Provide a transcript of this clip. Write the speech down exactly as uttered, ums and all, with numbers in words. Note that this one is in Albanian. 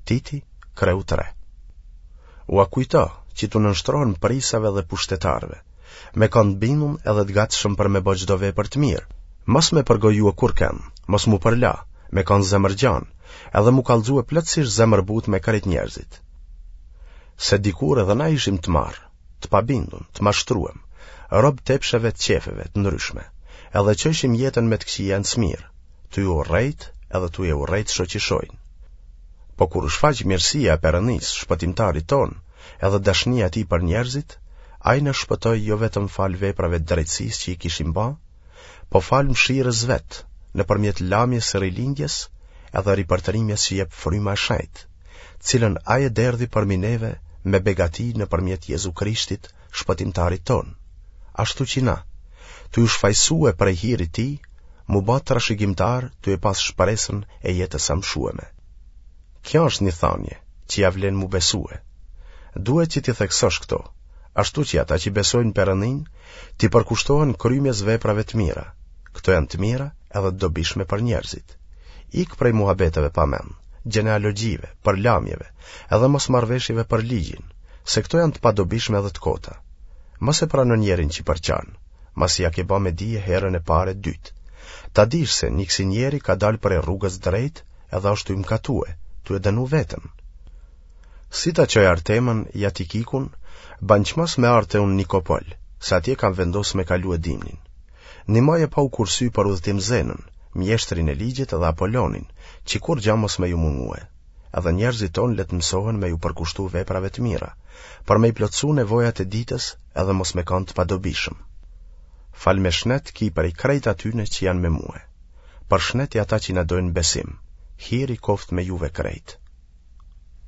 Titi, kreu tre. Ua kujto që t'u nënshtrohen prijsave dhe pushtetarëve, me kanë të bindun edhe të gatshëm për me bo çdo vepër të mirë, mos me përgojue kurrkënd, mos m'u përla, me kanë zemërgjanë, edhe m'u kallxue plotësisht zemërbutë me krejt njerëzit. Se dikur edhe na ishim të marrë, të pabindun, të mashtruem, rob t'epsheve të qefeve të ndryshme, edhe çojshim jetën me të këqija në smirë, tuj urrejt edhe tuj e urrejt shoqishojnë. Po kur u shfaq mirësia e Perëndisë, shpëtimtarit tonë, edhe dashnia e tij për njerëzit, ai na shpëtoi jo vetëm falë veprave të drejtësisë që i kishim ba, po falë mëshirës vet, nëpërmjet lamjes së rilindjes edhe ripërtërimjes që jep fryma e shenjtë, cilën ai e derdhi përmi neve me begati nëpërmjet Jezu Krishtit, shpëtimtarit tonë. Ashtu që na, tuj u shfajsue prej hirit tij, m'u ba trashëgimtarë tuj e pas shpresën e jetës amshueme. Kjo është një thanje, që ia vlen m'u besue. Duhet që t'i theksosh këto, ashtu që ata që besojnë Perëndinë, t'i përkushtohen krymjes veprave të mira. Këto janë të mira edhe të dobishme për njerëzit. Ik prej muhabeteve pa mend, gjenealogjive, përlamjeve, edhe mosmarrëveshjeve për ligjin, se këto janë të padobishme edhe të kota. Mos e prano njerin që përçan, masi ia ke ba me dije herën e parë e dytë. Ta dish se një kësi njeri ka dalë prej rrugës drejt edhe është tuj mkatue, tuj e dënu veten. Si ta çoj Artemën ja Tikikun, ban çmos me ardhë te unë Nikopol, se atje kam vendosë me kalue dimnin. Nimoje pa u kursy për udhëtim Zenën, mjeshtrin e ligjit dhe Apolonin, që kurrgja mos me ju mungue. Edhe njerëzit tonë le të mësohen me ju përkushtu veprave të mira, për me i plotësu nevojat e ditës edhe mos me kanë të padobishëm. Fal me shnet ki prej krejt atyne që janë me mue. Përshneti ata që na dojnë besim. Hiri koftë me juve krejt.